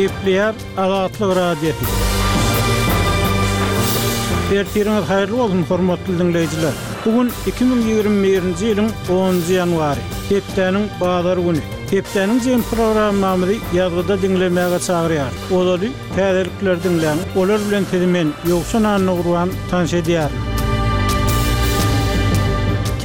Gepleýär Azatlyk Radiosy. Ertiriňiz haýyrly bolsun, hormatly diňleýjiler! Bu gün 2021-nji ýylyň onunjy ýanwary, hepdäniň bazar güni. Hepdäniň jemi programmamyzy ýazgyda diňlemäge çagyrýarys. Ozaly täzelikleri diňläň, olar bilen sizi men, Ýowşan Annagurban, tanyş edýärin.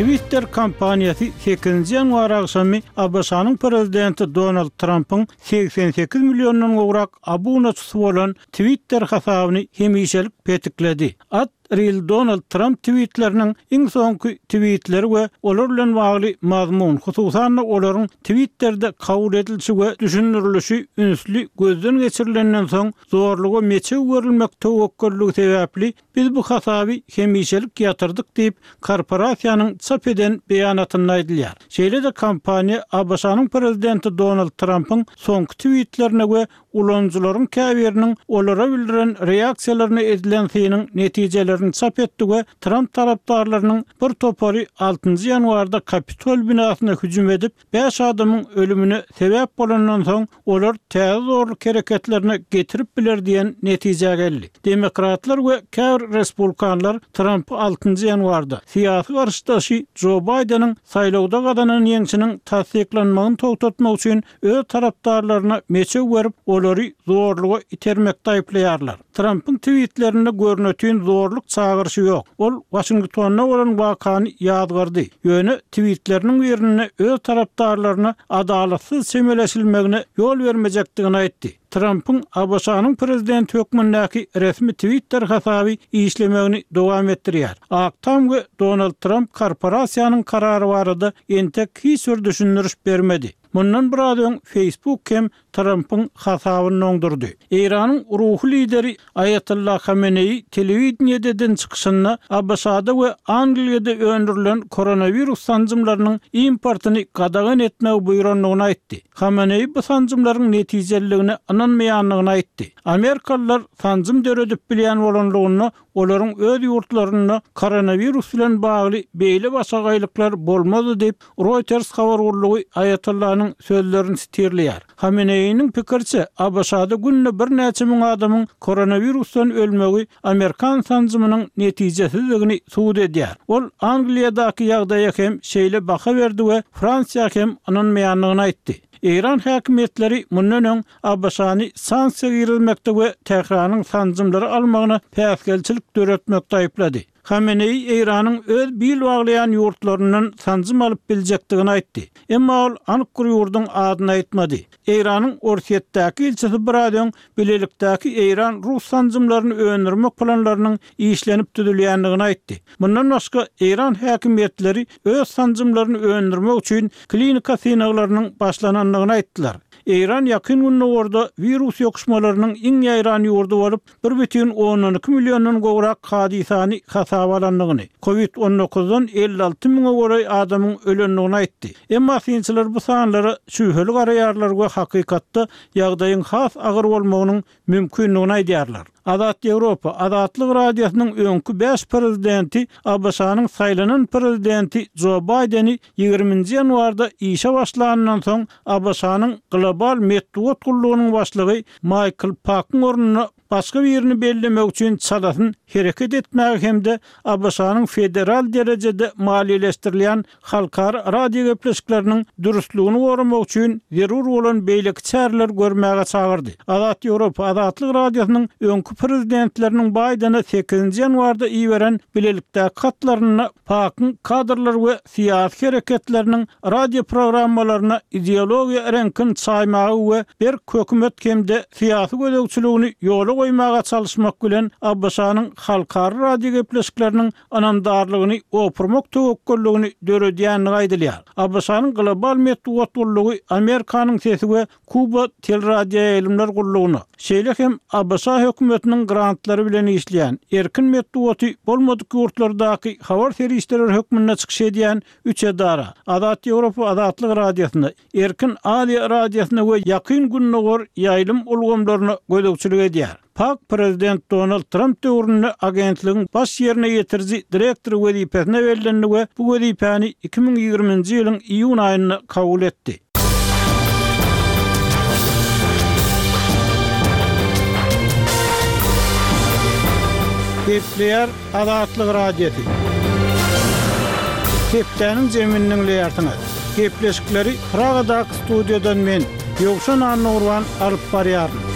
Twitter kompaniýasy sekizinji ýanwar agşamy ABŞ-nyň prezidenti Donald Trampyň 88 milliondan gowrak abunaçysy bolan Twitter hasabyny hemişelik petikledi. At Real Donald Tramp twitleriniň iň soňky twitleri we olar bilen bagly mazmun, hususan-da olaryň Twitterde kabul edilişi we düşündirilişi ünsli gözden geçirilenden soň, zorluga meçew berilmek töwekgelligi sebäpli Biz bu hasaby hemişelik ýatyrdyk diýip, korporasiýanyň çap eden beýanatynda aýdylýar. Şeýle-de kompaniýa ABŞ-nyň prezidenti Donald Trampyň soňky twitlerine we ulanyjylaryň käbiriniň olara bildiren reaksiýalaryna edilen synyň netijelerini çap etdi we Tramp tarapdarlarynyň bir topary altynjy ýanwarda Kapitol binasyna hüjüm edip, Bäş adamyň ölümine sebäp bolandan soň, olar täze zorluk hereketlerine getirip biler diýen netijä geldi. Demokratlar we käbir respublikanlar Trampy altynjy ýanwarda, syýasy garşydaşy Jo Baýdeniň saýlawda gazanan ýeňşiniň tassyklanmagyny togtatmak üçin öz tarapdarlaryna meçew berip, olary zorluga itermekde aýyplaýarlar. Trampyň twitlerinde görnetin zorluk çagyryşy ýok. Ol Waşingtonda bolan wakany ýazgardy, ýöne twitleriniň birinde öz tarapdarlaryna adalatsyz çemeleşilmegine ýol bermejekdigini aýtdy. Trampyň ABŞ-nyň prezidenti hökmündäki resmi Twitter hasaby işlemegini dowam etdirýär. Ak Tam we Donald Tramp korporasiýanyň karary barada entek hiç bir düşündiriş bermedi. Mundan biraz öň Facebook hem Trampyň hasabyny doňdurdy. Eýranyň ruhy lideri Aýatolla Hameneýi telewideniýede eden çykyşynda ABŞ-da we Angliýada öndürilen koronawirus sanjymlarynyň importyny gadagan etmegi buýrandygyny aýtdy. Hameneýi bu sanjymlaryň netijeliligine ynanmaýandygyny aýtdy. Amerikalylar sanjym döredip bilýän bolanlygynda olaryň öz ýurtlarynda koronawirus bilen bagly beýle başagaýlyklar bolmazdy diýip, Reuters habar gullugy Aýatollanyň sözlerini sitirleýär. Hameneýiniň pikiriçe, ABŞ-da günde birnäçe müň adamyň koronawirusdan ölmegi amerikan sanjymynyň netijesizdigini subut edýär. Ol Angliýadaky ýagdaýa hem şeýle baha berdi we Fransiýa hem ynanmaýandygyny aýtdy. Eýran häkimiýetleri mundan öň ABŞ-ny sanksiýa girizmekde we Tähranyň sanjymlary almagyna päsgelçilik döretmekde aýyplady. Hameneýi Eýranyň öz bil baglaýan ýurtlaryndan sanjym alyp biljekdigini aýtdy. Emma ol anyk bir ýurduň adyny aýtmady. Eýranyň Orsýetdäki ilçisi biraz öň bilelikdäki eýran-rus sanjymlaryny öndürmek planlarynyň işlenip düzülýändigini aýtdy. Mundan başga, eýran häkimiýetleri öz sanjymlaryny öndürmek üçin klinika synaglarynyň başlanandygyny aýtdylar. Eýran Ýakyn Gündogarda wirus ýokuşmalarynyň iň ýaýran ýurdy bolup, 1,2 milliondan gowrak hadysany hasaba alandygyny, covid 19-dan 56 müňe golaý adamyň ölendigini aýtdy. Emma synçylar bu sanlara şübheli garaýarlar we hakykatda ýagdaýyň has agyr bolmagynyň mümkindigini aýdýarlar. Azat Ýewropa, Azatlyk Radiosynyň öňki bäş prezidenti ABŞ-nyň saýlanan prezidenti Jo Baýdeni ýigriminji ýanwarda işe başlanyndan soň ABŞ-nyň Global metbugat gullugynyň başlygy Maýkl Pakyň ornuna başga birini bellemek üçin çalasyn hereket etmäge hem-de ABŞ-nyň federal derejede maliýeleşdirilýän halkara radiogepleşikleriniň dürslügini goramak üçin zerur bolan beýleki çäreleri görmäge çagyrdy. Azat Ýewropa Azatlyk Radiosynyň öňki prezidentleriniň Baýdene sekizinji ýanwarda iberen bilelikdäki hatlarynda PAK-yň kadrlar we syýasy hereketleriniň radioprogrammalaryna ideologiýa reňkini çaýmaga we berk hökümet hem-de syýasy gözegçiligini ýola goýmaga çalyşmak bilen ABŞ-nyň halkara radiogepleşikleriniň ynamdarlygyny opurmak töwekgelligini döredýändigi aýdylýar. ABŞ-nyň Global metbugat gullugy Amerikanyň sesi we Kuba teleradioýaýlymlar gullugyna, şeýle hem ABŞ hökümetiniň grantlary bilen işleýän, erkin metbugaty bolmadyk ýurtlardaky habar serişdeleri hökmünde çykyş edýän üç edara, Azat Ýewropa Azatlyk Radiosyna, Erkin Aziýa Radiosyna we Ýakyn Gündogar ýaýlym ulgamlaryna gözegçilik edýär. Pak prezident Donald Tramp döwründe agentligiň baş ýerine ýetiriji direktory wezipesine bellendi we bu wezipäni 2020-nji ýylyň iýun aýynda kabul etdi. Gepleýär Azatlyk Radiosy. Hepdäniň jemini diňleýärsiňiz. Gepleşikleri Pragadaky studiýadan men, Ýowşan Annagurban alyp barýaryn.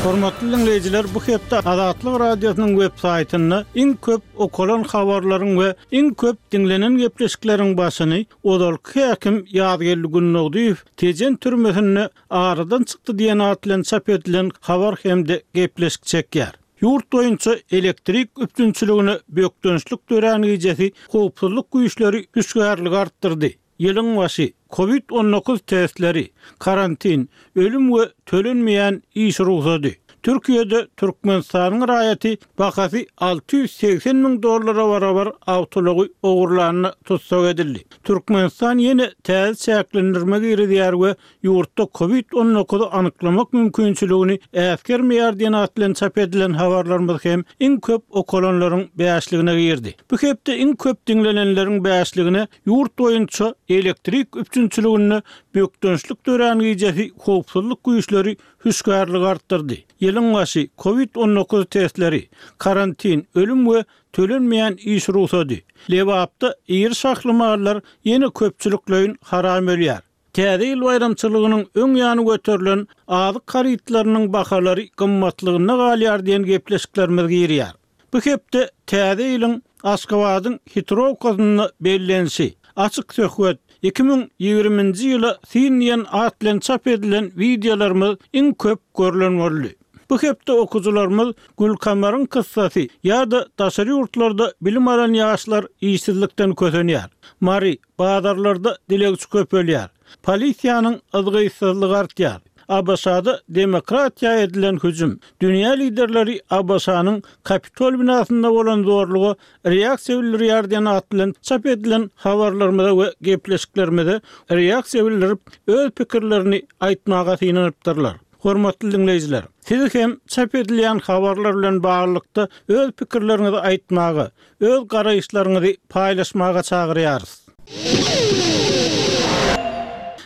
Hormatly diňleýjiler, bu hepde Azatlyk Radiosynyň web saýtynda iň köp okalan habarlaryň we iň köp diňlenen gepleşikleriň başyny ozalky häkim Ýazgeldi Gündogdyýew Tejen türmesinde aradan çykdy diýen at bilen çap edilen habar hem-de gepleşik çekýär. Ýurt boýunça elektrik üpjünçiligine bökdençlik dörän gijesi howpsuzlyk güýçleri hüşgärligi artdyrdy. Ýylyň başy, Covid 19 testleri, karantin, ölüm we tölenmeýän iş rugsady. Türkiýede Türkmenistanyň raýaty bahasy 680 müň dollara barabar awtoulagy ogurlanda tussag edildi. Türkmenistan ýene täze çäklendirme girizýär we ýurtda Covid 19 anyklamak mümkinçiligini äsgermeýär diýen at bilen çap edilen habarlarymyz hem iň köp okalanlaryň bäşligine girdi. Bu hepde iň köp diňlenenleriň bäşligine ýurt boýunça elektrik üpjünçiliginde bökdençlik dörän gijesi howpsuzlyk güýçleri hüşgärligi artdyrdy. Ýylyň başy, Covid 19 testleri, karantin, ölüm we tölenmeýän iş rugsady. Lebapda iri şahly mallar ýene köpçülikleýin haram ölýär. Täze ýyl baýramçylygynyň öň ýany göterilen azyk harytlarynyň bahalary gymmatlygynda galýar diýen gepleşiklerimiz girýär. Bu hepde Täze ýylyň Aşgabadyň Hitrowkasynda bellenişi, Açyk söhbet, 2020-nji ýyla syn diýen at bilen çap edilen wideolarymyz iň köp görlen boldy. Bu hepde okyjylarymyz Gülkamaryň kyssasy ýa-da daşary ýurtlarda bilim alan ýaşlar işsizlikden kösenýär. Mary, bazarlarda dilegçi köpelýär. Polisiýanyň yzgytsyzlygy artýar. ABŞ-da demokratiýa edilen hüjüm. Dünýä liderleri ABŞ-nyň Kapitol binasynda bolan zorluga reaksiýa bildirýär diýen at bilen çap edilen habarlarymyza we gepleşiklerimize reaksiýa bildirip, öz pikirlerini aýtmaga synanypdyrlar. Hormatly diňleýjiler, sizi hem çap edilýän habarlar bilen baglylykda öz pikirleriňizi aýtmaga, öz garaýyşlaryňyzy paýlaşmaga çagyrýarys.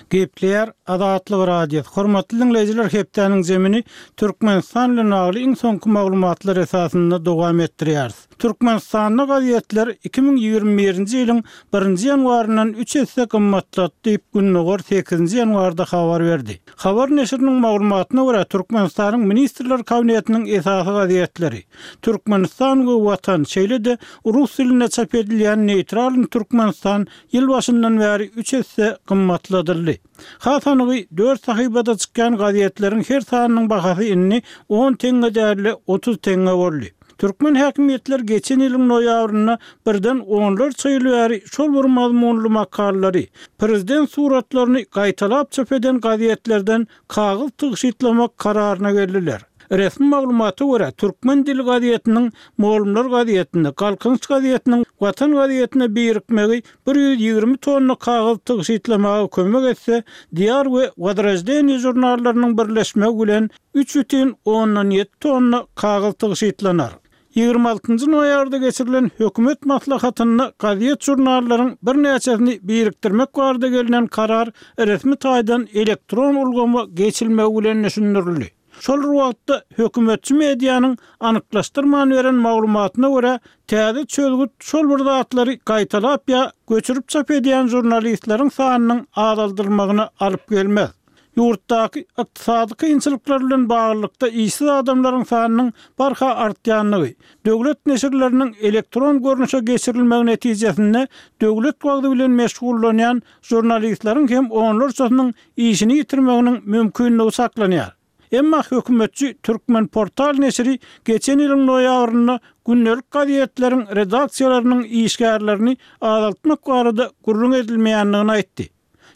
Gepleýär Azatlyk Radiosy. Hormatly diňleýjiler, hepdäniň jemini Türkmenistan bilen bagly iň soňky maglumatlar esasynda dowam etdirýäris. Türkmenistanda gazetler 2021-nji ýylyň birinji ýanwaryndan üç esse gymmatlady diýip, Gündogar sekizinji ýanwarda habar berdi. Habar neşiriniň maglumatyna görä, Türkmenistanyň Ministrler Kabinetiniň esasy gazetleri, Türkmenistan we Watan, şeýle-de rus dilinde çap edilýän Neýtralnyý Türkmenistan ýyl başyndan bäri üç esse gymmatladyldy. Has anygy, dört sahypada çykýan gazetleriň her sanynyň bahasy indi on teňňe däl-de, 30 teňňe boldy. Türkmen häkimiýetleri geçen ýylyň noýabrynda birden onlarça ýyl bäri şol bir mazmunly makalalary, prezident suratlaryny gaýtalap çap eden gazetlerden kagyz tygşytlamak kararyna geldiler. Resmi maglumata görä, Türkmen dili gazetiniň Mugallymlar gazetine, Galkynyş gazetiniň Watan gazetine birikmegi 120 tonna kagyz tygşytlamaga kömek etse, Diýar we Wozroždeniýe žurnallarynyň birleşmegi bilen 3,7 tonna kagyz tygşytlanar. 26-njy noýabrda geçirilen hökümet maslahatynda gazet-žurnallaryň birnäçesini birikdirmek barada gelnen karar resmi taýdan elektron ulgama geçilmegi bilen düşündirildi. Şol bir wagtda, hökümetçi medianyň anyklaşdyrman beren maglumatyna görä, täze çözgüt şol bir zatlary gaýtalap ýa göçürip çap edýän žurnalistleriň sanynyň azaldylmagyna alyp gelmez. Ýurtdaky ykdysady kynçylyklar bilen baglylykda işsiz adamlaryň sanynyň barha artýandygy, döwlet neşirleriniň elektron görnüşe geçirilmegi netijesinde döwlet wagzy bilen meşgullanýan žurnalistleriň hem onlarçasynyň işini ýitirmeginiň mümkindigi çaklanýar. Emma hökümetçi Türkmenportal neşiri geçen ýylyň noýabrynda gündelik gazetleriň redaksiýalarynyň işgärlerini azaltmak barada gürrüň edilmeýändigini aýtdy.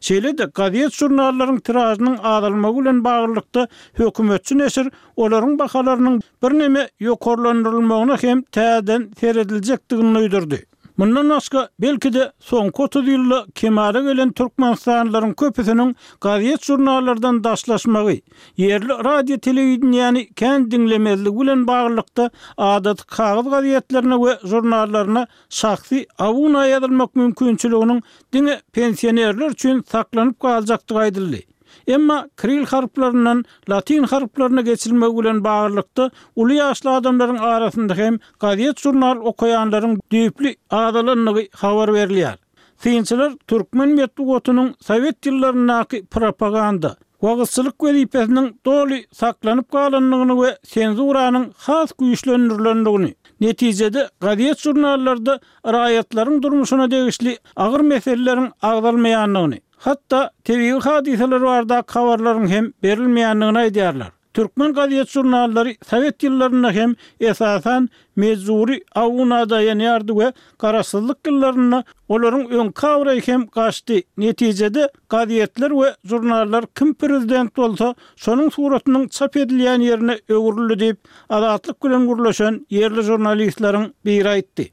Şeýle-de, gazet-žurnallaryň tiražynyň azalmagy bilen baglylykda, hökümetçi neşir olaryň bahalarynyň birneme ýokarlandyrylmagyna hem täzeden serediljekdigini duýdurdy. Mundan başga, belki-de, soňky 30 ýylda kemala gelen türkmenistanlylaryň köpüsiniň gazet-žurnallardan daşlaşmagy, ýerli radio-telewideniýäni kän diňlemezligi bilen baglylykda, adaty kagyz gazetlerine we žurnallaryna şahsy abuna ýazylmak mümkinçiliginiň diňe pensionerler üçin saklanyp galjakdygy aýdyldy. Emma kiril harplaryndan latyn harplaryna geçilmegi bilen baglylykda, uly ýaşly adamlaryň arasynda hem gazet-žurnal okaýanlaryň düýpli azalandygy habar berilýär. Synçylar türkmen metbugatynyň sowet ýyllaryndaky propaganda, wagyzçylyk wezipesiniň doly saklanyp galandygyny we senzuranyň has güýçlendirilendigini, netijede gazet-žurnallarda raýatlaryň durmuşyna degişli agyr meseleleriň agzalmaýandygyny, hatda tebigy hadysalar baradaky habarlaryň hem berilmeýändigini aýdýarlar. Türkmen gazet-žurnallary sowet ýyllarynda hem esasan mejbury abuna daýanýardy we garaşsyzlyk ýyllarynda olaryň öňki abraýy hem gaçdy. Netijede, gazetler we žurnallar kim prezident bolsa, şonuň suratynyň çap edilýän ýerine öwrüldi diýip, Azatlyk bilen gürleşen ýerli žurnalistleriň biri aýtdy.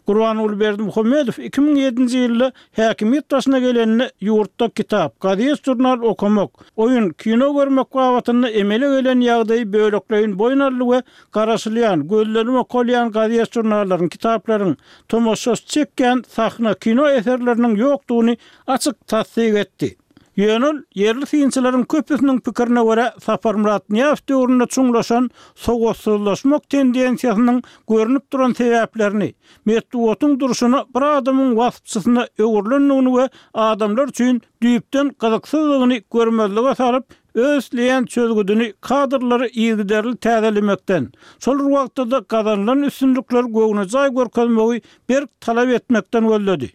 Gurbanguly Berdimuhamedow 2007-nji ýylda häkimiýet başyna gelende ýurtda kitap, gazet-žurnal okamak, oýun, kino görmek babatynda emele gelen ýagdaýy bölekleýin boýun aldy we garaşylýan, gözlenip okalýan gazet-žurnallaryň, kitaplaryň, tomaşaçy çekýän sahna, kino eserleriniň ýokdugyny açyk tassyk etdi. Ýöne ol, ýerli synçylaryň köpüsiniň pikirine görä, Saparmyrat Nyýazow döwründe çuňlaşan sowatsyzlaşmak tendensiýasynyň görnüp duran sebäplerini, metbugatyň durşuna bir adamyň waspçysyna öwrülendigini we adamlar üçin düýpden gyzyksyzdygyny görmezlige salyp, öz isleýän çözgüdini kadrlary yzygiderli täzelemekden, şol bir wagtda-da gazanylan üstünlikleri göwnejaý görkezmegi berk talap etmekden gözledi.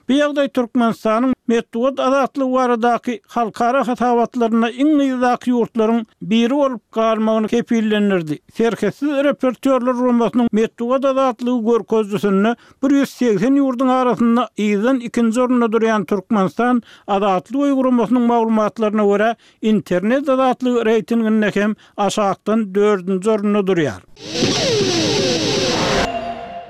Bu ýagdaý Türkmenistanyň metbugat azatlygy baradaky halkara hasabatlarynda iň yzdaky ýurtlaryň biri bolup galmagyny kepillendirdi. Serhetsiz reportýorlar guramasynyň metbugat azatlygy görkezijisinde 180 ýurduň arasynda yzdan ikinji orunda durýan Türkmenistan Azatlyk öýi guramasynyň maglumatlaryna görä, Internet azatlygy reýtinginde hem aşakdan dördünji orunda durýar.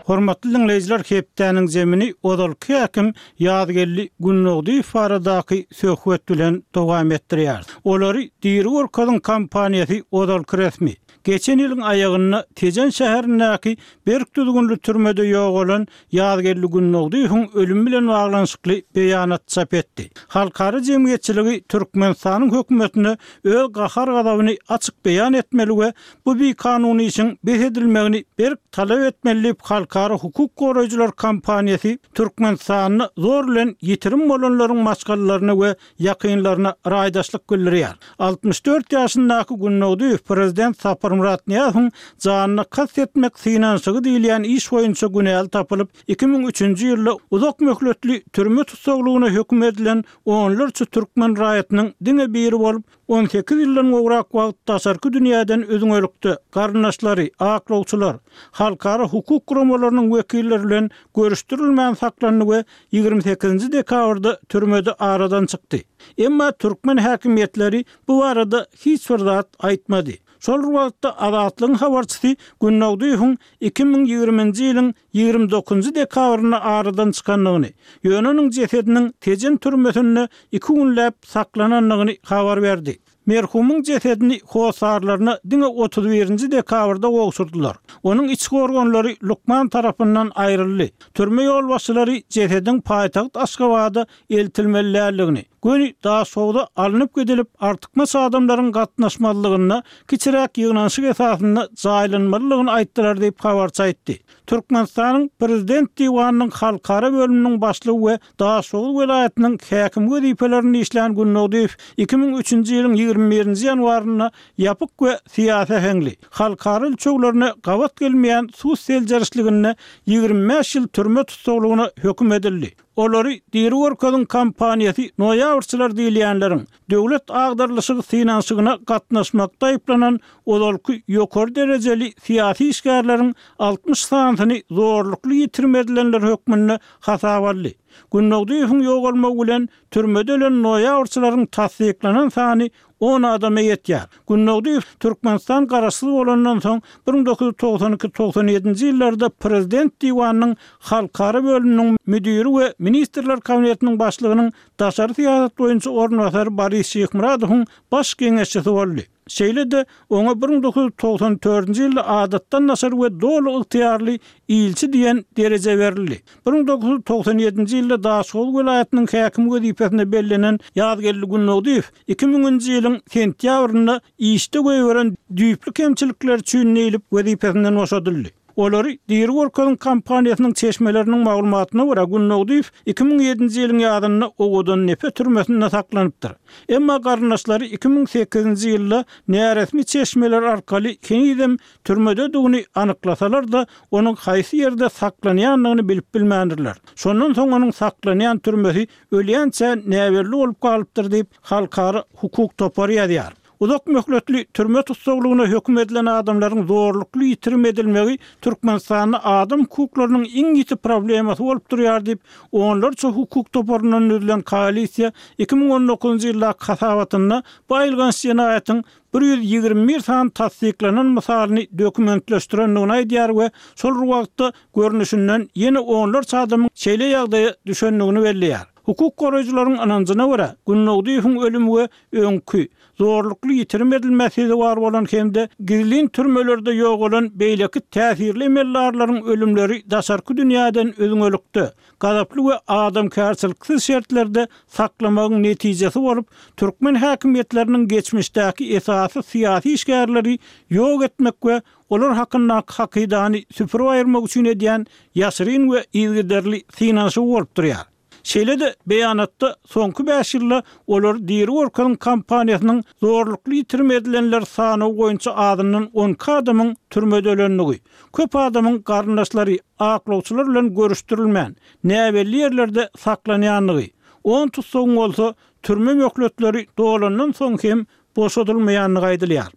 Hormatly diňleýjiler hepdäniň zemini ozalky häkim Ýazgeldi Gündogdyýew baradaky söhbet bilen dowam etdirýäris. Olary diri görkeziň kampaniýasy ozalky resmi Geçen ýylyň aýagynda Tejen şäherindäki berk düzgünli türmede ýogalan Ýazgeldi Gündogdyýewiň ölümi bilen baglanyşykly beýanat çap etdi. Halkara jemgyýetçiligi Türkmenistanyň hökümetine öz gahar-gazabyny açyk beýan etmeli we bu bikanun işiň bes edilmegini berk talap etmeli diýip, halkara hukuk goraýjylar kampaniýasy Türkmenistanda zor bilen ýitirim bolanlaryň maşgalalaryna we ýakynlaryna raýdaşlyk bildirýär. 64 ýaşyndaky Gündogdyýew prezident Saparmyrat Nyýazowyň janyna kast etmek synanyşygy diýilýän iş boýunça günäli tapylyp, 2003-nji ýylda uzak möhletli türme tussaglygyna höküm edilen onlarça türkmen raýatynyň diňe biri bolup, 18 ýyldan gowrak wagt daşarky dünýäden üzňelikde, garyndaşlary, aklawçylar, halkara hukuk guramalarynyň wekilleri bilen görüşdirilmän saklandy we 28-nji dekabrda türmede aradan çykdy. Emma türkmen häkimiýetleri bu barada hiç bir zat aýtmady. Şol bir wagtda, Azatlygyň habarçysy Gündogdyýewiň 2020-nji ýylyň 29-njy dekabrynda aradan çykandygyny, ýöne onuň jesediniň Tejen türmesinde iki günläp saklanandygyny habar berdi. Merhumyň jesedini hossarlaryna diňe 31-nji dekabrda gowşurdylar. Onuň içki organlary lukman tarapyndan aýryldy. Türme ýolbaşçylary jesediň paýtagt Aşgabada eltilmeli däldigini, göni Daşhowza alnyp gidilip, artykmaç adamlaryň gatnaşmazlygynda kiçiräk ýygnanyşyk esasynda jaýlanmalydygyny aýtdylar diýip, habarçy aýtdy. Türkmenistanyň Prezident diwanynyň halkara bölüminiň başlygy we Daşoguz welaýatynyň häkimi wezipelerinde işlän Gündogdyýew 2003-nji ýylyň 21-nji ýanwarynda ýapyk we syýasy äheňli, halkara ölçeglerine gabat gelmeýän sud seljerişliginde 25 ýyl türme tussaglygyna höküm edildi. Olary diri görkeziň kampaniýasy noýabrçylar diýilýänleriň döwlet agdarylyşygy synanyşygyna gatnaşmakda aýyplanan ozalky ýokary derejeli syýasy işgärleriň 60 sanysyny zorlukly ýitirim edilenler hökmünde hasaba aldy. Gündogdyýewiň ýogalmagy bilen türmede ölen noýabrçylaryň tassyklanan sany on adama ýetýär. Gündogdyýew Türkmenistan garaşsyz bolandan soň 1992, 97-nji ýyllarda Prezident diwanynyň halkara bölüminiň müdiri we Ministrler Kabinetiniň başlygynyň daşary syýasat boýunça orunbasary Boris Şyhmyradowyň baş geňeşçisi boldy. Şeýle-de, oňa 1994-nji ýylda adatdan daşary we doly ygtyýarly ilçi diýen dereje berildi. 1997-nji ýylda Daşoguz welaýatynyň häkimi wezipesine bellenen Ýazgeldi Gündogdyýew iki müňünji ýylyň sentýabrynda işde goýberen düýpli kemçilikleri üçin diýlip wezipesinden boşadyldy. Olary diri görkeziň kampaniýasynyň çeşmeleriniň maglumatyna görä, Gündogdyýew 2007-nji ýylyň ýazynda Owadandepe türmesinde saklanypdyr. Emma garyndaşlary 2008-nji ýylda näresmi çeşmeler arkaly henizem türmededigini anyklasalar-da, onuň haýsy ýerde saklanýandygyny bilip bilmändirler. Şondan soň onuň saklanýan türmesi ölýänçä näbelli bolup galypdyr diýip, halkara hukuk topary ýazýar. Uzak möhletli türme tussaglygyna höküm edilen adamlaryň zorlukly ýitirim edilmegi Türkmenistanda adam hukuklarynyň iň ýiti problemasy bolup durýar diýip, onlarça hukuk toparyndan düzülen koalisiýa 2019-njy ýyldaky hasabatynda bu aýylganç jenaýatyň 121 sany tassyklanan mysalyny dokumentleşdirendigini aýdýar we şol bir wagtda görnüşinden ýene onlarça adamyň şeýle ýagdaýa düşendigini belleýär. Hukuk goraýjylaryň ynanjyna görä, Gündogdyýewiň ölümi we öňki, zorlukly ýitirim edilmä sezewar bolan hem-de gizlin türmelerde ýogalan beýleki täsirli emeldarlaryň ölümleri daşarky dünýäden üzňelikde, gazaply we adamkärçiliksiz şertlerde saklamagyň netijesi bolup, türkmen häkimiýetleriniň geçmişdäki esasy syýasy işgärleri ýok etmek we olar hakyndaky hakydany süpürip aýyrmak üçin edýän ýaşyryn we yzygiderli synanyşygy bolup durýar. Şeýle-de, beýanatda soňky bäş ýylda olary diri görkeziň kampaniýasynyň zorlukly ýitirim edilenler sanawy boýunça azyndan 12 adamyň türmede ölendigi, köp adamyň garyndaşlary, aklawçylar bilen görüşdirilmän, näbelli ýerlerde saklanýandygy, on tussagyň bolsa türme möhletleri dolandan soň hem boşadylmaýandygy aýdylýar.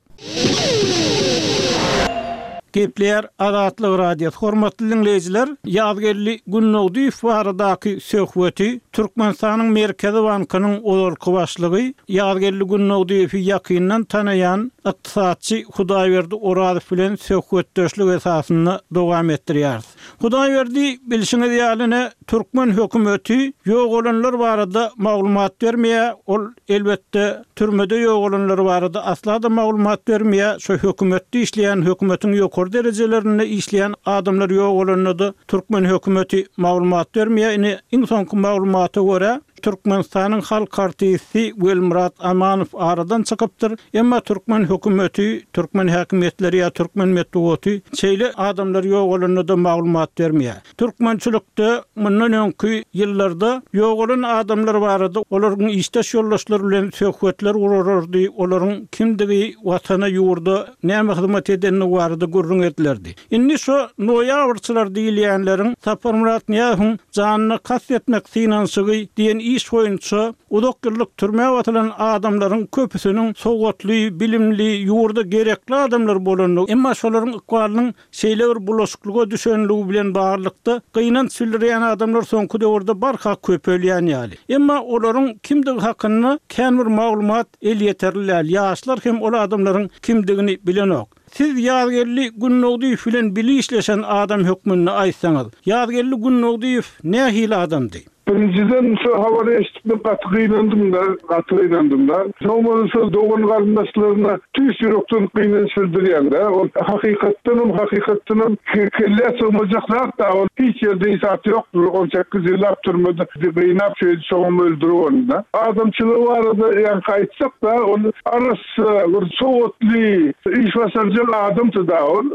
Gepleýär Azatlyk Radiosy Hormatly diňleýjiler, Ýazgeldi Gündogdyýew baradaky söhbeti Türkmenistanyň Merkezi bankynyň ozalky başlygy, Ýazgeldi Gündogdyýewi ýakyndan tanaýan ykdysatçy Hudaýberdi Orazow bilen söhbetdeşlik esasynda dowam etdirýäris. Hudaýberdi, bilşiňiz ýaly ine, türkmen hökümeti ýogalanlar barada maglumat bermeýär, ol Elbetde, türmede ýogalanlar barada asla-da maglumat bermeýär. Şo hökümetde işleýän, hökümetiň ýokary derejelerinde işleýän adamlar ýogalanda-da türkmen hökümeti maglumat bermeýär. Ine, iň soňky maglumata görä, Türkmenistanyň halk artisti Welmyrat Amanow aradan çykypdyr. Emma türkmen hökümeti, türkmen häkimiýetleri ýa türkmen metbugaty şeýle adamlar ýogalanda-da maglumat bermeýär. Türkmençilikde mundan öňki ýyllarda ýogalan adamlar barada olaryň işdeş ýoldaşlary bilen söhbetler gurarardy, olaryň kimdigi, Watana, ýurda näme hyzmat edendigi barada gürrüň edilerdi. Indi şo noýabrçylar diýilýänleriň Saparmyrat Nyýazowyň janyna kast etmek synanyşygy diýen iş boýunça uzak ýyllyk türmä basylan adamlaryň köpüsiniň sowatly, bilimli, ýurda gerekli adamlar bolandygy, emma şolaryň ykbalynyň Şeýle bir bulaşyklyga düşenligi bilen baglylykda, gynanç bildirýän adamlar soňky döwürde barha köpelýän ýaly. Emma olaryň kimdigi hakynda kän bir maglumat elýeterli däl, ýaşlar hem ol adamlaryň kimdigini bilenok. Siz Ýazgeldi Gündogdyýew bilen bile işleşen adam hökmünde aýtsaňyz, Ýazgeldi Gündogdyýew nähili adamdy? Birinjiden şu habary eşidip men gaty gynandym-da, gaty gynandym-da. Soň bolsa şol dogan-garyndaşlaryna tüýs ýürekden gynanç bildirýän-de. Ol hakykatdanam, hakykatdanam kellä sygmajak zat-da ol. Hiç ýerde hiç zat ýokdur. On sekiz ýyllap türmede gynap şeýdip soňam öldürip ony-da. Adamçylygy barada ýaňky aýtsak-da, ol arassa Bir sowatly, iş başarjaň adamdy-da ol.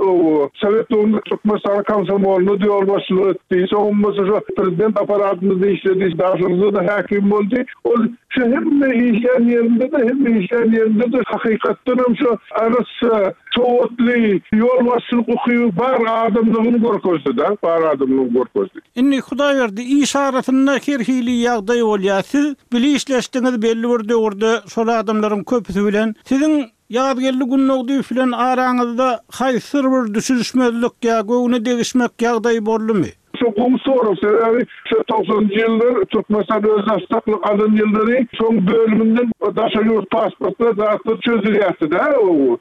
Sowet döwründe Türkmenistanyň komsomolyna-da ýolbaşçylyk etdi. Soňam bolsa şo prezident apparatynda-da işledi, Daşoguzda-da häkim boldy. Ol şo hemme işlän ýerinde-de, hemme işlän ýerinde-de hakykatdanam şo arassa, sowatly, ýolbaşçylyk ukyby bar adamlygyny görkezdi-de, bar adamlygyny görkezdi. Indi Hudaýberdi, iş arasynda her hili ýagdaý bolýar. Siz bile işleşdiňiz belli bir döwürde şol adamlaryň köpüsi bilen. Siziň Ýazgeldi Gündogdyýew bilen araňyzda haýsydyr bir düşünişmezlik ýa göwne degişmek ýagdaýy boldumy? Şo gowy sorag, sebäbi şo togsanynjy ýyllar Türkmenistan özbaşdaklyk alan ýyllary şoň bölüminden daşary ýurt pasportlar zatlar çözülýärdi-dä.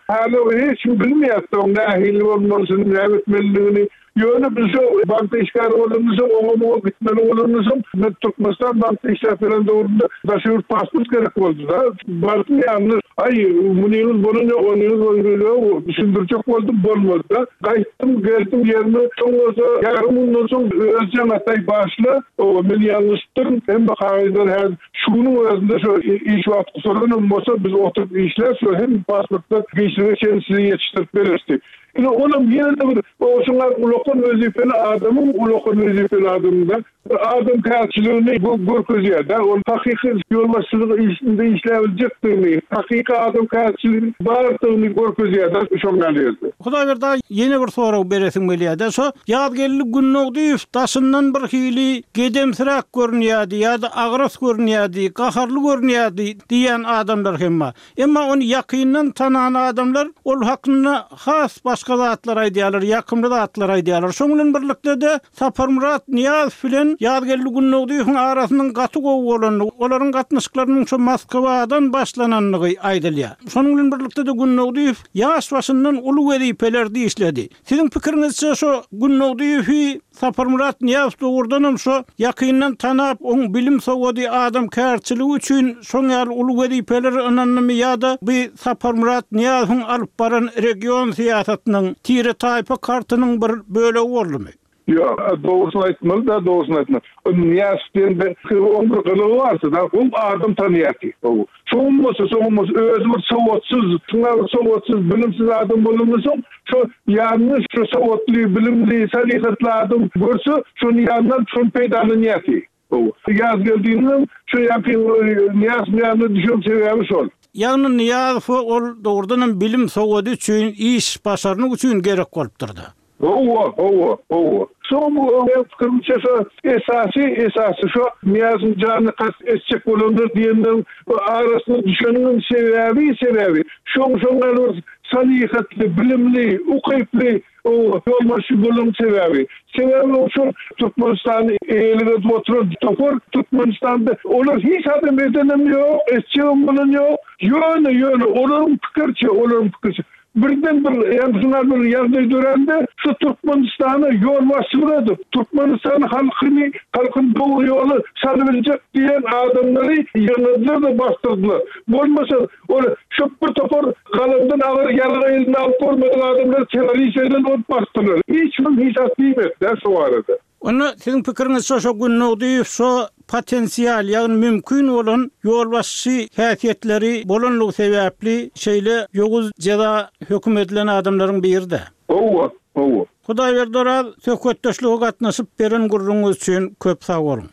Häli hiç kim bilmeýärdi oň nähili bolmalysyny, näme etmelidigini. Ýöne biz şo bankda işgär bolanymyzsoň, oňa-muňa gitmeli bolanymyzsoň, men Türkmenistan bankda işläp ýören döwrümde daşary ýurt pasport gerek boldy-da. Bardym ýanyna, Aý, munyňyz bolan ýok, onyňyz bolan ýok, düşündirjek boldum, bolmady-da. Gaýtdym, geldim ýerime, soň bolsa ýarym günden soň özi jaň atdy, Aý, bagyşla, oba, men ýalňyşypdyryn, hemme kagyzlar häzir şu günüň özünde şo iş wagty gutaranam bolsa, biz oturyp işläp, şo hemme pasportlar giçlige çenli size ýetişdirip bereris diýip. Ine, olam ýene-de bir şuňa ulakan wezipeli adamyň ulakan wezipeli adamyň-da bir adamkärçiligini görkezýär-dä. Ol hakyky ýolbaşçylyk işinde işläbiljekdigini, hakyky adamkärçiligiň bardygyny görkezýär-dä şoň ýaly ýerde. Hudaýberdi aga, ýene bir sorag beresim gelýär-dä. Şo Ýazgeldi Gündogdyýew daşyndan bir hili gedemsiräk görünýärdi ýa-da agras görünýärdi, gaharly görünýärdi diýýän adamlar hem bar. Emma ony ýakyndan tanan adamlar ol hakynda has başga zatlar aýdýarlar, ýakymly zatlar aýdýarlar. Şoň bilen birlikde-de Saparmyrat Nyýazow bilen Ýazgeldi Gündogdyýewiň arasynyň gaty gowy bolandygy, olaryň gatnaşyklarynyň şo Moskwadan başlanandygy aýdylýar. Şonuň bilen birlikde-de Gündogdyýew ýaş başyndan uly wezipelerde işledi. Siziň pikiriňizçe şo Gündogdyýewi Saparmyrat Nyýazow dogrudanam şo ýakyndan tanap, oň bilim-sowady, adamkärçiligi üçin şoň ýaly uly wezipeleri ynandymy ýa-da bu Saparmyrat Nyýazowyň alyp baran region syýasatynyň, tire-taýpa kartynyň bir bölegi boldumy? Ýok, dogrusyny aýtmaly-da, dogrusyny aýtmaly. O Nyýazow diýen bir oň bir gylygy bardy-da, ol adam tanaýardy. Soňam bolsa, soňam bolsa özi bir sowatsyz, şuňa bir sowatsyz, bilimsiz adam bolandan soň, şo ýanyna şo sowatly, bilimli, salyhatly adam görse, şony ýanyna alyp, şony peýdalanýardy. Hawa. Ýazgeldiniňem şo ýaňky Nyýazowyň ýanyna düşen sebäbi şol. Ýagny Nyýazowa ol dogrudanam bilim, sowady üçin, iş başarnyk üçin gerek bolupdyr-da. Hawa, hawa, hawa. Soň meň pikirimçe şo esasy, esasy şo Nyýazowyň janyna kast etjek bolanlar diýenleriň arasyna düşeniňem sebäbi, sebäbi şoň şoň ýaly bir salyhatly, bilimli, ukyply ýolbaşçy bolanyň sebäbi. Sebäbi ol şol Türkmenistany eýelik edip oturan topar Türkmenistanda olar hiç adam edenem ýok, etjegem bolan ýok. Ýöne, ýöne olaryň pikiriçe, olaryň pikiriçe Birden bir ýaňsyňar bir ýagdaý dörände şu Türkmenistana ýolbaşçylyk edip, Türkmenistan halkyny halkyny dogry ýola salybiljek diýen adamlary ýygnadylar-da basdyrdylar. Bolmasa ol şu bir topar galamdan agyr ýarag eline alyp görmedik adamlary terrorist eden bolup basdyrlar. Hiç kim hiç zat diýmedi-dä şu barada. Onda siziň pikiriňizçe şo Gündogdyýew şo potensial, ýagny mümkin bolan ýolbaşçy häsiýetleri bolanlygy sebäpli şeýle ýowuz jeza höküm edilen adamlaryň biri-dä? Hawa, hawa. Hudaýberdi Oraz, söhbetdeşlige gatnaşyp beren gürrüňiňiz üçin köp sag boluň.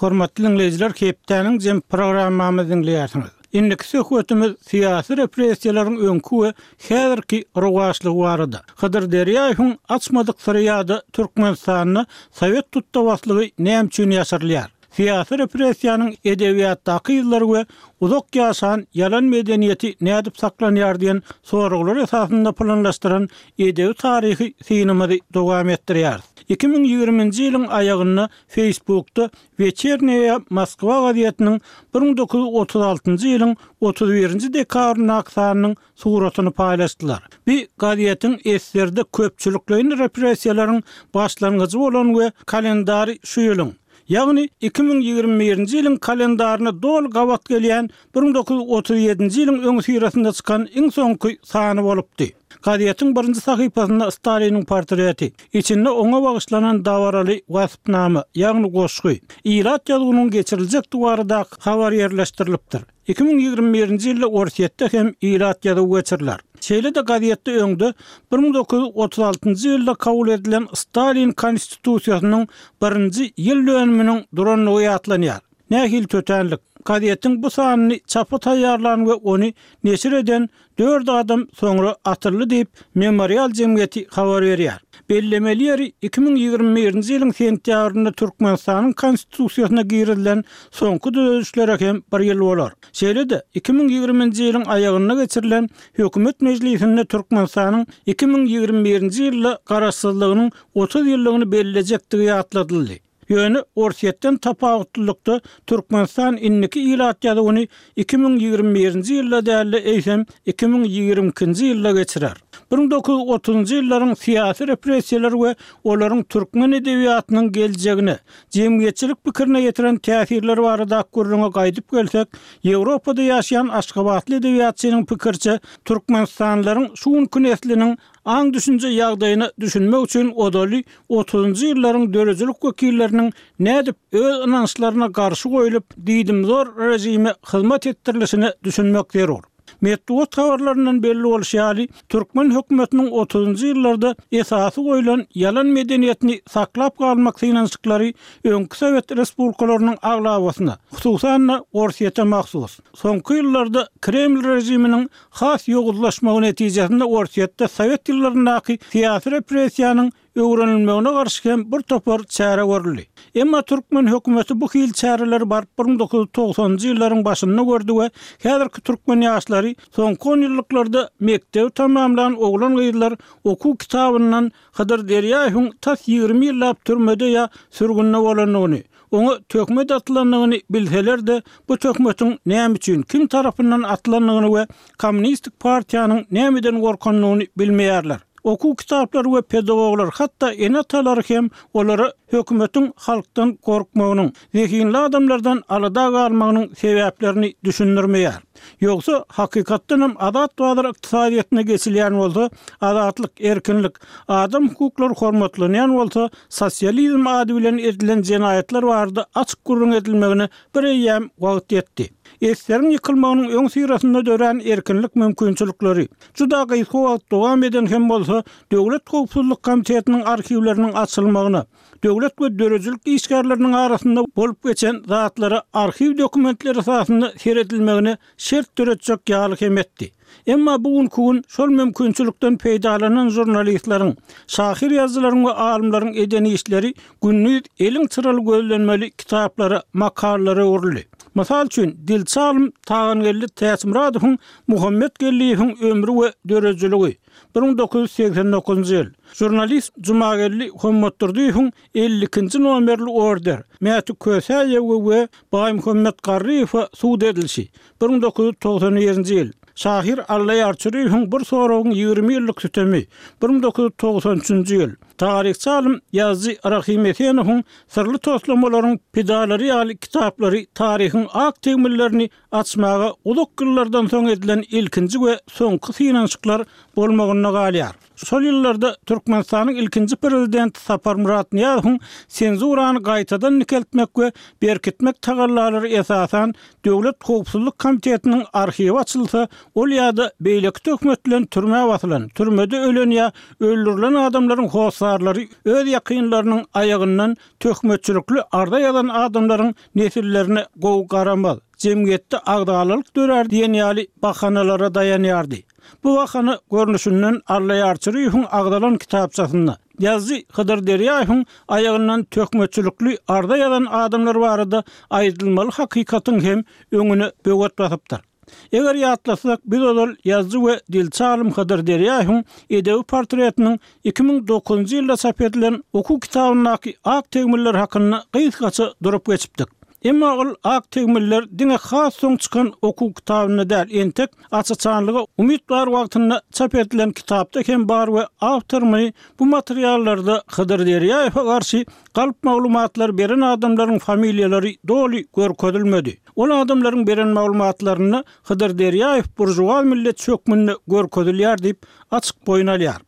Hormatly diňleýjiler hepdäniň jem programmamyzy diňleýärsiňiz. Indiki söhbetimiz syýasy repressiýalaryň öňki we häzirki rowaçlygy barada. Hydyr Derýaýewiň açmadyk syry ýa-da Türkmenistanda sowet tutdabaslygy näme üçin ýaşyrylýar? Syýasy repressiýanyň edebiýatdaky yzlary we uzak ýaşan ýalan medeniýeti nädip saklanýar diýen soraglar esasynda planlaşdyran edebi-taryhy synymyzy dowam etdirýäris. 2020-nji ýylyň aýagynda Facebookda Weçernýaýa Moskwa gazetiniň 1936-njy ýylyň 31-nji dekabryndaky sanynyň suratyny paýlaşdylar. Bu gazetiň eserde köpçülikleýin repressiýalaryň başlangyjy bolan we kalendary şu ýylyň, ýagny 2021-nji ýylyň kalendaryna doly gabat gelýän 1937-nji ýylyň öňüsyrasynda çykan iň soňky sany bolupdy. Gazetiň birinji sahypasynda Staliniň portreti, içinde oňa bagyşlanan dabaraly waspnama, ýagny goşgy, ilat ýazuwynyň geçiriljekdigi baradaky habar ýerleşdirilipdir. 2021-nji ýylda Orsýetde hem ilat ýazuwy geçiriler. Şeýle-de gazetde öňde 1936-njy ýylda kabul edilen Stalin Konstitusiýasynyň birinji ýyl dönüminiň durandygy ýatlanýar. Nähili tötänlik! Gazetiň bu sanyny çapa taýýarlan we ony neşir eden dört adam soňra atyldy diýip, Memorial jemgyýeti habar berýär. Bellemeli ýeri, 2021-nji ýylyň sentýabrynda Türkmenistanyň Konstitusiýasyna girizilen soňky düzedişlere hem bir ýyl bolar. Şeýle-de, 2020-nji ýylyň aýagynda geçirilen Hökümet mejlisinde Türkmenistanyň 2021-nji ýylda Garaşsyzlygynyň 30 ýyllygyny bellejekdigi ýatladyldy. Ýöne Orsýetden tapawutlylykda Türkmenistan indiki ilat ýazuwyny 2021-nji ýylda däl-de, eýsem, 2022-nji ýylda geçirer. 1930-njy ýyllaryň syýasy repressiýalary we olaryň türkmen edebiýatynyň geljegine, jemgyýetçilik pikirine ýetiren täsirleri baradaky gürrüňe gaýdyp gelsek, Ýewropada ýaşaýan aşgabatly edebiýatçynyň pikiriçe, türkmenistanlylaryň şu günki nesliniň aň-düşünje ýagdaýyna düşünmek üçin ozaly otuzynjy ýyllaryň döredijilik wekilleriniň nädip öz ynançlaryna garşy goýlup, diýdimzor režime hyzmat etdirilişine düşünmek zerur. Metbugat habarlaryndan belli bolşy ýaly, türkmen hökümetiniň otuzynjy ýyllarda esasy goýlan ýalan medeniýetini saklap galmak synanyşyklary öňki sowet respublikalarynyň aglabasyna, hususan-da, Orsýete mahsus. Soňky ýyllarda Kreml režiminiň has ýowuzlaşmagy netijesinde Orsýetde sowet ýyllaryndaky syýasy repressiýanyň öwrenilmegine garşy hem bir topar çäre görüldi. Emma türkmen hökümeti bu hili çäreleri baryp 1990-njy ýyllaryň başynda gördi we häzirki türkmen ýaşlary soňky onýyllyklarda mekdebi tamamlan oglan-gyzlar okuw kitabyndan Hydyr Derýaýewiň tas 20 ýyllap türmede ýa sürgünde bolandygyny, oňa töhmet atylandygyny bilseler-de, bu töhmetiň näme üçin, kim tarapyndan atylandygyny we Kommunistik partiýanyň nämeden gorkandygyny bilmeýärler. Okuw kitaplary we pedagoglar, hatda ene-atalary hem olara hökümetiň halkdan gorkmagynyň, zehinli adamlardan alada galmagynyň sebäplerini düşündirmeýär. Ýogsa, hakykatdanam azat bazar ykdysadyýetine geçilýän bolsa, azatlyk, erkinlik, adam hukuklary hormatlanýan bolsa, sosializm ady bilen edilen jenaýatlar barada açyk gürrüň edilmegine bir eýýäm wagt ýetdi. Eseriň ýykylmagynyň öňüsyrasynda dörän erkinlik mümkinçilikleri, juda gysga wagt dowam eden hem bolsa, Döwlet howpsuzlyk komitetiniň arhiwleriniň açylmagyna, döwlet we döredijilik işgärleriniň arasynda bolup geçen zatlara arhiw dokumentleri esasynda seredilmegine şert döretjek ýaly hem etdi. Emma bu günki gün şol mümkinçilikden peýdalanan žurnalistleriň, şahyr-ýazyjylaryň we alymlaryň eden işleri gündiz eliň çyraly gözlenmeli kitaplara, makalalara öwrüldi. Mysal üçin, dilçi alym Tagangeldi Täçmyradowyň Muhammet Geldiýewiň ömri we döredijiligi, 1989-njy ýyl, žurnalist Jumageldi Hommatdurdyýewiň 52-nji nomerli order, Mäti Kösäýewe we Baýmuhammet Garryýewe sud edilişi, 1991-nji ýyl, şahyr Allaýar Çüriýewiň Bir soragyň 20 ýyllyk sütemi, 1993-nji ýyl, taryhçy alym, ýazyjy Rahym Esenowyň Syrly toslamalaryň pidalary ýaly kitaplary taryhyň ak tegmillerini açmaga uzak ýyllardan soň edilen ilkinji we soňky synanyşyklar bolmagynda galýar. Şol ýyllarda Türkmenistanyň ilkinji prezidenti Saparmyrat Nyýazowyň senzurany gaýtadan dikeltmek we berkitmek tagallalary esasan Döwlet howpsuzlyk komitetiniň arhiwi açylsa, ol ýa-da beýleki töhmet bilen türmä basylan, türmede ölen ýa öldürilen adamlaryň hossarlary öz ýakynlarynyň aýagyndan töhmetçilikli arza ýazan adamlaryň nesillerine gowy garamaz, jemgyýetde agzalalyk dörär diýen ýaly bahanalara daýanýardy. Bu bahana görnüşinden Allaýar Çüriýewiň agzalan kitapçasynda, ýazyjy Hydyr Derýaýewiň aýagyndan töhmetçilikli arza ýazan adamlar barada aýdylmaly hakykatyň hem öňüne böwet basypdyr. Eger ýatlasak, biz ozal ýazyjy we dilçi alym Hydyr Derýaýewiň edebi portretiniň 2009-njy ýylda çap edilen okuw kitabyndaky ak tegmiller hakynda gysgaça durup geçipdik. Emma ol ak tegmiller diňe has soň çykan okuw kitabynda däl, entek aç-açanlyga umyt bar wagtynda çap edilen kitapda hem bar we awtor muny bu materiallarda Hydyr Derýaýewe garşy galp maglumatlar beren adamlaryň familiýalary doly görkezilmedi. Ol adamlaryň beren maglumatlarynda Hydyr Derýaýew buržuaz milletçi hökmünde görkezilýär diýip, açyk boýun alýar.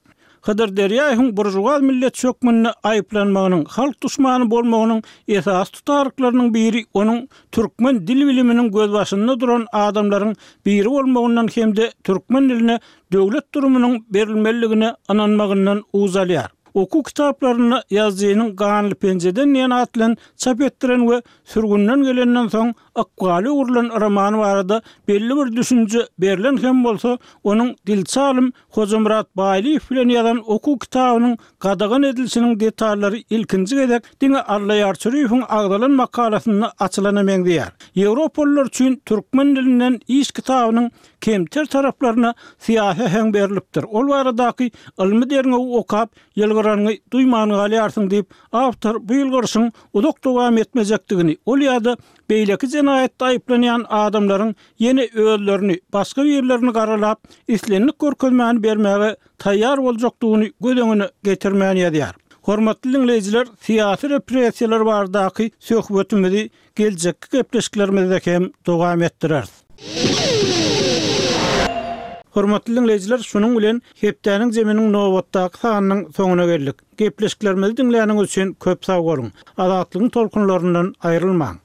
Hydyr Derýaýewiň buržuaz milletçi hökmünde aýyplanmagynyň, halk duşmany bolmagynyň esasy tutaryklarynyň biri onuň türkmen dil biliminiň gözbaşynda duran adamlaryň biri bolmagyndan hem-de türkmen diline döwlet durumynyň berilmelidigine ynanmagyndan uç alýar. Okuw kitaplarynda ýazyjynyň Ganly penjeden diýen at bilen çap etdiren we sürgünden gelenden soň ykbaly öwrülen romany barada belli bir düşünje berlen hem bolsa, onuň dilçi alym Hojamyrat Baýlyýew bilen ýazan okuw kitabynyň gadagan edilişiniň detallary ilkinji gezek diňe Allaýar Çüriýewiň agzalan makalasynda açylana meňzeýär. Ýewropalylar üçin türkmen dilinden iş kitabynyň kemter taraplaryna syýasy äheň berlipdir. Ol baradaky ylmy derňewi okap, ýylgyran. ýylgyranyňy duýman galýarsyň diýip, awtor bu ýylgyryşyň uzak dowam etmejekdigini, ol ýa-da beýleki jenaýatda aýyplanýan adamlaryň ýene özlerini, başga birlerini garalap, islendik görkezmäni bermäge taýýar boljakdygyny göz öňüne getirmän ýazýar. Hormatly diňleýjiler, syýasy repressiýalar baradaky söhbetimizi geljekki gepleşiklerimizde hem dowam etdireris. Hormatly diňleýjiler, şunuň bilen hepdäniň zeminiň nobatdaky sanynyň soňuna geldik. Gepleşiklerimizi diňläniňiz üçin köp sag boluň! Azatlygyň tolkunlaryndan aýrylmaň!